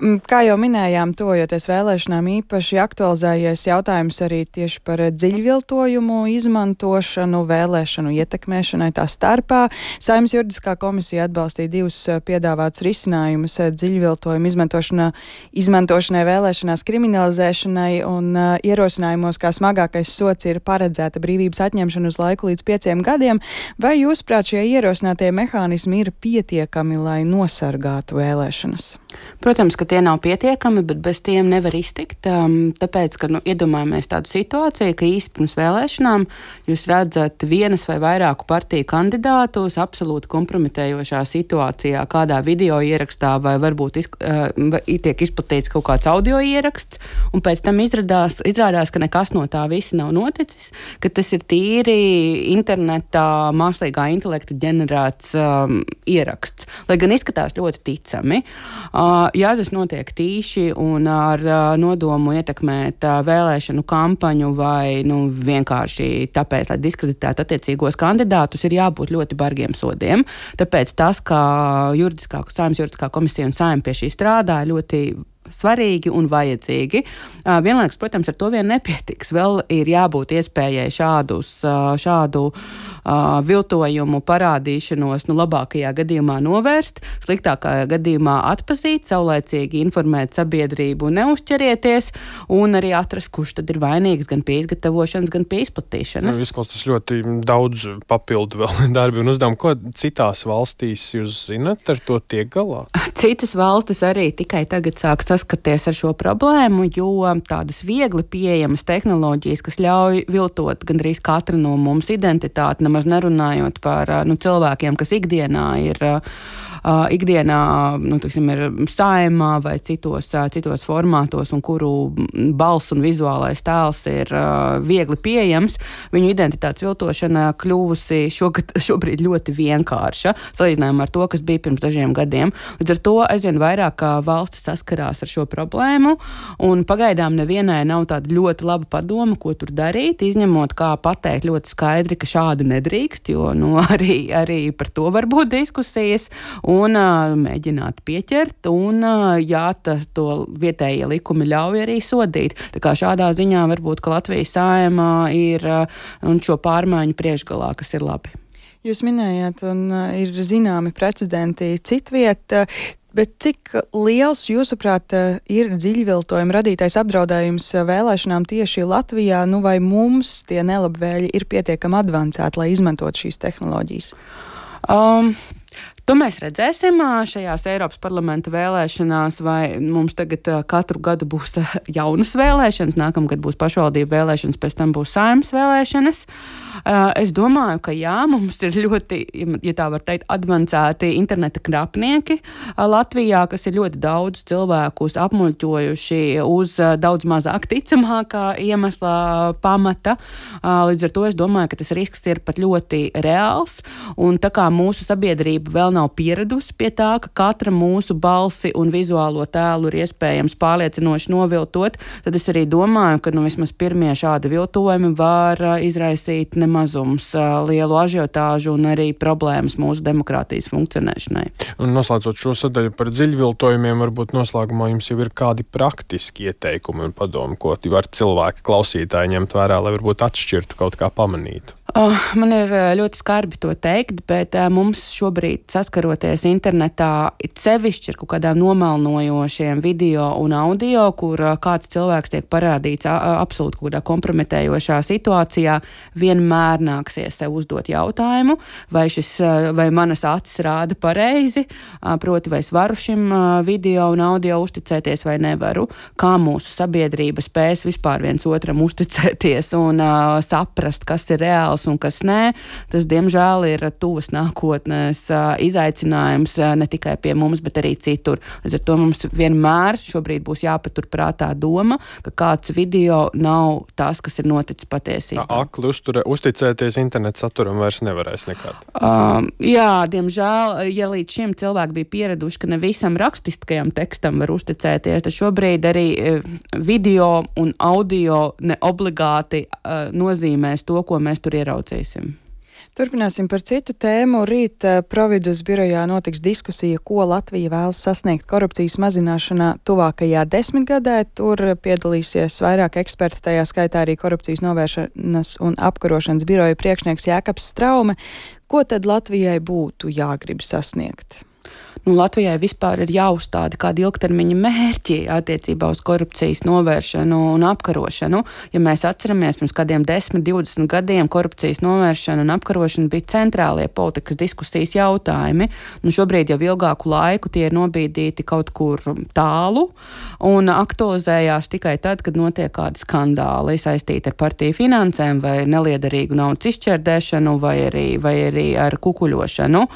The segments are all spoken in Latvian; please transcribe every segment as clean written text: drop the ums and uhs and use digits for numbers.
Kā jau minējām, tojoties vēlēšanām, īpaši aktualizējies jautājums arī tieši par dziļviltojumu izmantošanu, vēlēšanu ietekmēšanai tā starpā. Saeimas juridiskā komisija atbalstīja divus piedāvātus risinājumus dziļviltojumu izmantošanai vēlēšanās kriminalizēšanai un ierosinājumos, kā smagākais sots ir paredzēta brīvības atņemšana uz laiku līdz 5 gadiem. Vai jūsuprāt šie ierosinātie mehānismi ir pietiekami, lai nosargātu vēlēšanas? Protams, ka tie nav pietiekami, bet bez tiem nevar iztikt. Tāpēc, ka iedomājamies tādu situāciju, ka īsti pirms vēlēšanām jūs redzat vienas vai vairāku partiju kandidātus absolūti kompromitējošā situācijā, kādā video ierakstā vai varbūt tiek izplatīts kaut kāds audio ieraksts, un pēc tam izrādās, ka nekas no tā visa nav noticis, ka tas ir tīri internetā mākslīgā intelekta ģenerēts ieraksts, lai gan izskatās ļoti ticami. Ja tas notiek tīši un ar nodomu ietekmēt vēlēšanu kampaņu vai vienkārši tāpēc, lai diskreditētu attiecīgos kandidātus, ir jābūt ļoti bargiem sodiem. Tāpēc tas, ka Saeimas juridiskā komisija un Saeima pie šī strādā, ļoti svarīgi un vajadzīgi. Vienlaikus, protams, ar to vien nepietiks. Vēl ir jābūt iespējai šādu viltojumu parādīšanos labākajā gadījumā novērst, sliktākajā gadījumā atpazīt, saulēcīgi informēt sabiedrību, neuzķerieties un arī atrast, kurš tad ir vainīgs gan pie izgatavošanas, gan pie izplatīšanas. Izklausās ļoti daudz papildu vēl darbi un uzdevumu. Ko citās valstīs jūs zinat, ar to tiek galā? Citas valstis arī tikai tagad sāk saskaties ar šo problēmu, jo tādas viegli pieejamas tehnoloģijas, kas ļauj viltot gandrīz katra no mums identitāti, nemaz nerunājot par cilvēkiem, kas ikdienā ir ir Saeimā vai citos formātos un kuru balss un vizuālais tēls ir viegli pieejams, viņu identitātes viltošana kļuvusi šobrīd ļoti vienkārša, salīdzinājumā ar to, kas bija pirms dažiem gadiem. Līdz ar to aizvien vairāk valstis saskarās ar šo problēmu, un pagaidām nevienai nav tāda ļoti laba padoma, ko tur darīt, izņemot kā pateikt ļoti skaidri, ka šādi nedrīkst, jo arī par to var būt diskusijas, un mēģināt pieķert, un to vietējie likumi ļauj arī sodīt. Tā kā šādā ziņā varbūt, ka Latvijas Saeima ir šo pārmaiņu priekšgalā, kas ir labi. Jūs minējāt, un ir zināmi precedenti citviet, bet cik liels, jūsuprāt, ir dziļviltojuma radītais apdraudējums vēlēšanām tieši Latvijā, vai mums tie nelabvēļi ir pietiekami advancēti, lai izmantot šīs tehnoloģijas? To mēs redzēsim šajās Eiropas parlamenta vēlēšanās, vai mums tagad katru gadu būs jaunas vēlēšanas, nākamgad būs pašvaldību vēlēšanas, pēc tam būs Saeimas vēlēšanas. Es domāju, ka jā, mums ir ļoti, ja tā var teikt, advancēti interneta krapnieki Latvijā, kas ir ļoti daudz cilvēkus apmuļķojuši uz daudz mazāk ticamākā iemesla pamata. Līdz ar to es domāju, ka tas risks ir pat ļoti reāls, un tā kā mūsu sabiedrība vēl nav pieradusi pie tā, ka katra mūsu balsi un vizuālo tēlu ir iespējams pārliecinoši noviltot, tad es arī domāju, ka vismaz pirmie šādi viltojumi var izraisīt nemazums lielu ažiotāžu un arī problēmas mūsu demokrātijas funkcionēšanai. Un noslēdzot šo sadaļu par dziļviltojumiem, varbūt noslēgumā jums jau ir kādi praktiski ieteikumi un padomi, ko var cilvēki klausītāji ņemt vērā, lai varbūt atšķirtu kaut kā pamanītu? Man ir ļoti skarbi to teikt, bet mums šobrīd saskaroties internetā sevišķi ar kaut kādām nomelnojošiem video un audio, kur kāds cilvēks tiek parādīts absolūti kaut kādā kompromitējošā situācijā, vienmēr nāksies sev uzdot jautājumu, vai manas acis rāda pareizi, proti vai es varu šim video un audio uzticēties vai nevaru, kā mūsu sabiedrība spēs vispār viens otram uzticēties un saprast, kas ir reāls un kas nē, tas, diemžēl, ir tuvas nākotnes izaicinājums ne tikai pie mums, bet arī citur. Līdz ar to mums vienmēr šobrīd būs jāpatur prātā doma, ka kāds video nav tas, kas ir noticis patiesībā. Akli uzticēties internetu saturam vairs nevarēs nekad. Jā, diemžēl, ja līdz šim cilvēki bija pieraduši, ka ne visam rakstiskajam tekstam var uzticēties, tad šobrīd arī video un audio neobligāti nozīmēs to, ko mēs tur ieraudzīsim. Turpināsim par citu tēmu. Rīt Providus birojā notiks diskusija, ko Latvija vēlas sasniegt korupcijas mazināšanā tuvākajā 10 gadē. Tur piedalīsies vairāk eksperti, tajā skaitā arī korupcijas novēršanas un apkarošanas biroja priekšnieks Jākaps Straume. Ko tad Latvijai būtu jāgrib sasniegt? Latvijai vispār ir jāuzstāda kādi ilgtermiņa mērķi attiecībā uz korupcijas novēršanu un apkarošanu. Ja mēs atceramies, pirms kādiem 10, 20 gadiem korupcijas novēršana un apkarošana bija centrālie politikas diskusijas jautājumi. Šobrīd jau ilgāku laiku tie ir nobīdīti kaut kur tālu un aktualizējās tikai tad, kad notiek kādi skandāli saistīti ar partiju finansēm vai neliederīgu naudas izšķērdēšanu vai arī ar kukuļošanu,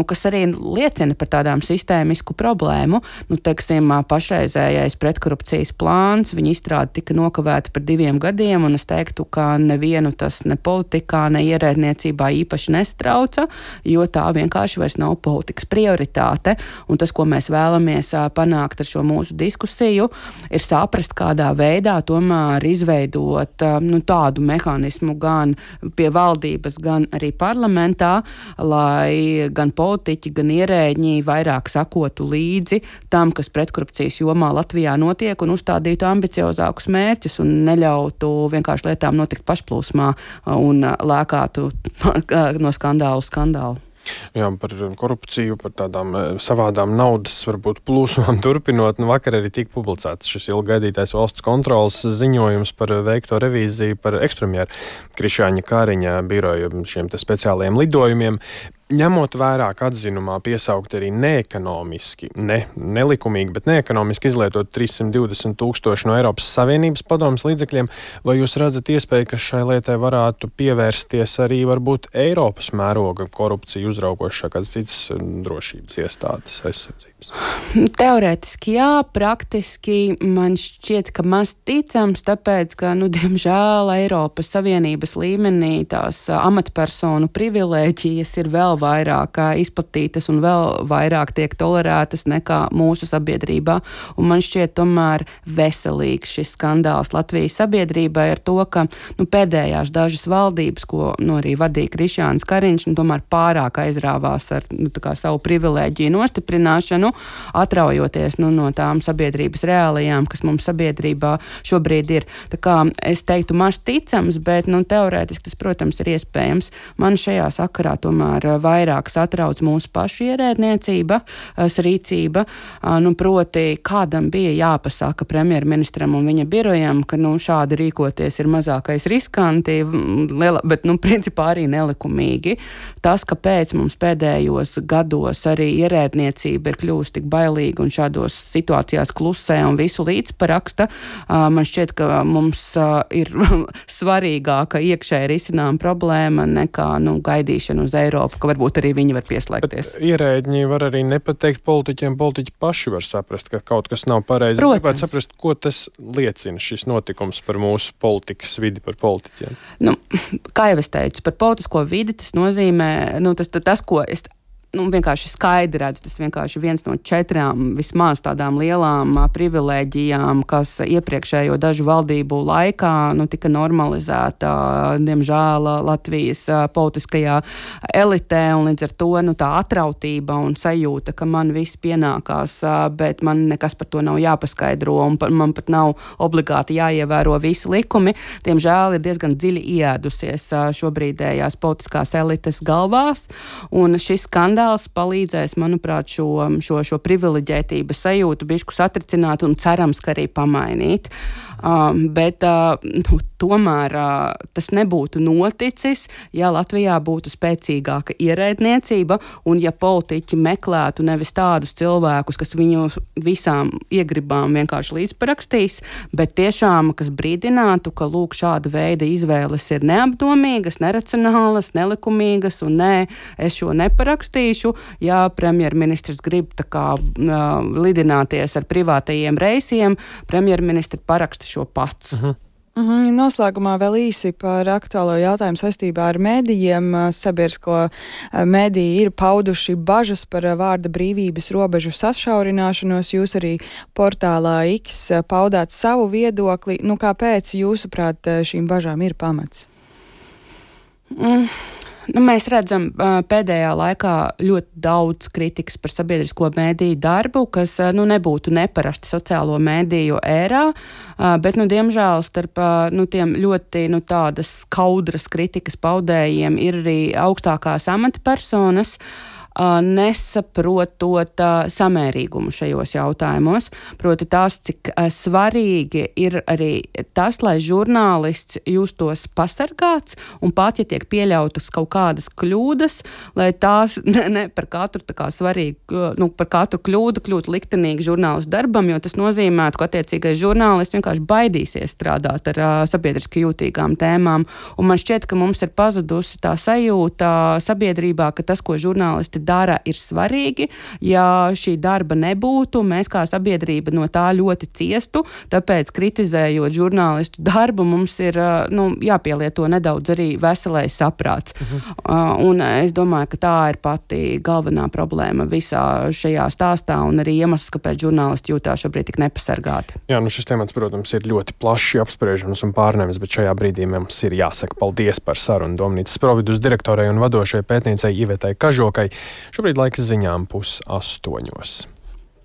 kas arī liecina par tādām sistēmisku problēmu. Teiksim, pašreizējais pretkorupcijas plāns, viņa izstrāde tika nokavēta par 2 gadiem, un es teiktu, ka nevienu tas ne politikā, ne ierēdniecībā īpaši nestrauca, jo tā vienkārši vairs nav politikas prioritāte. Un tas, ko mēs vēlamies panākt ar šo mūsu diskusiju, ir saprast, kādā veidā tomēr izveidot tādu mehānismu gan pie valdības, gan arī parlamentā, lai gan politiķi, gan ierēģi vairāk sakotu līdzi tam, kas pretkorupcijas jomā Latvijā notiek, un uzstādītu ambiciozākus mērķus un neļautu vienkārši lietām notikt pašplūsmā un lēkātu no skandālu uz skandālu. Jā, par korupciju, par tādām savādām naudas varbūt plūsmām turpinot. Vakar arī tika publicēts šis ilggaidītais valsts kontrolas ziņojums par veikto revīziju par ekspremjeru Krišjāņa Kariņa biroja šiem te speciālajiem lidojumiem. Ņemot vērā, ka atzinumā piesaukt arī neekonomiski, nelikumīgi, bet neekonomiski izlietot 320 000 no Eiropas Savienības padomes līdzekļiem, vai jūs redzat iespēju, ka šai lietai varētu pievērsties arī varbūt Eiropas mēroga korupciju uzraugošā kādas citas drošības iestādes aizsardzības? Teorētiski jā, praktiski man šķiet, ka maz ticams, tāpēc, ka, diemžēl Eiropas Savienības līmenī tās amatpersonu privilēģijas ir vēl vairāk izplatītas un vēl vairāk tiek tolerētas nekā mūsu sabiedrībā. Un man šķiet tomēr veselīgs šis skandāls Latvijas sabiedrībai ar to, ka pēdējās dažas valdības, ko arī vadīja Krišjāns Kariņš, tomēr pārāk aizrāvās ar savu privilēģiju nostiprināšanu, atraujoties no tām sabiedrības reālijām, kas mums sabiedrībā šobrīd ir. Tā kā es teiktu maz ticams, bet teorētiski tas, protams, ir iespējams. Man šajā sakarā tomēr vairāk satrauc mūsu pašu ierēdniecības rīcība, proti kādam bija jāpasaka premjerministram un viņa birojam, ka šādi rīkoties ir mazākais riskanti, bet principā arī nelikumīgi. Tas, kāpēc mums pēdējos gados arī ierēdniecība ir kļūst tik bailīga un šādos situācijās klusē un visu līdzparaksta, man šķiet, ka mums ir svarīgāka iekšēji risinām problēma nekā gaidīšana uz Eiropu, ka varbūt arī viņi var pieslēgties. Bet ierēģi var arī nepateikt politiķiem, politiķi paši var saprast, ka kaut kas nav pareizi. Protams. Gribētu saprast, ko tas liecina, šis notikums par mūsu politikas vidi, par politiķiem. Kā jau es teicu, par politisko vidi tas nozīmē, tas, ko es vienkārši skaidri redzu, tas vienkārši viens no 4 vismaz tādām lielām privilēģijām, kas iepriekšējo dažu valdību laikā tika normalizēta, diemžēl, Latvijas politiskajā elitē, un līdz ar to tā atrautība un sajūta, ka man viss pienākās, bet man nekas par to nav jāpaskaidro, un man pat nav obligāti jāievēro visi likumi, diemžēl ir diezgan dziļi ieēdusies šobrīdējās politiskās elites galvās, un šis skandāls palīdzēs, manuprāt, šo privileģētības sajūtu bišķu satricināt un cerams, ka arī pamainīt. Bet tomēr tas nebūtu noticis, ja Latvijā būtu spēcīgāka ierēdniecība un ja politiķi meklētu nevis tādus cilvēkus, kas viņu visām iegribām vienkārši līdzparakstīs, bet tiešām, kas brīdinātu, ka lūk šāda veida izvēles ir neapdomīgas, neracionālas, nelikumīgas un es šo neparakstīšu, ja premjerministrs grib lidināties ar privātajiem reisiem, premjerministri paraksta šo pats. Noslēgumā vēl īsi par aktuālo jautājumu saistībā ar mēdījiem. Sabiedrisko mēdīji ir pauduši bažas par vārda brīvības robežu sašaurināšanos. Jūs arī portālā X paudāt savu viedokli. Kāpēc, jūsuprāt, šīm bažām ir pamats? Mēs redzam pēdējā laikā ļoti daudz kritikas par sabiedrisko mēdīju darbu, kas nebūtu neparasti sociālo mēdīju ērā, bet, diemžēl, starp tiem ļoti tādas skaudras kritikas paudējiem ir arī augstākās amatpersonas, nesaprotot samērīgumu šajos jautājumos. Proti tās, cik svarīgi ir arī tas, lai žurnālists justos pasargāts un pat, ja tiek pieļautas kaut kādas kļūdas, lai tās ne par katru tā kā svarīgu, par katru kļūdu kļūtu liktenīgi žurnālistu darbam, jo tas nozīmētu, ka attiecīgais žurnālists vienkārši baidīsies strādāt ar sabiedriski jūtīgām tēmām. Un man šķiet, ka mums ir pazudusi tā sajūta sabiedrībā, ka tas, ko žurnālisti dara, ir svarīgi. Ja šī darba nebūtu, mēs kā sabiedrība no tā ļoti ciestu, tāpēc kritizējot žurnālistu darbu, mums ir jāpielieto nedaudz arī veselais saprāts. Un es domāju, ka tā ir pati galvenā problēma visā šajā stāstā un arī iemesls, kāpēc žurnālisti jūtās šobrīd tik nepasargāti. Jā, šis temats, protams, ir ļoti plaši apspriežams un pārnēmis, bet šajā brīdī mums ir jāsaka paldies par sarunu Domnīcas Providus direktorai un vadošajai pētniecei Ivetai Kažokai. Šobrīd laiks ziņām 7:30.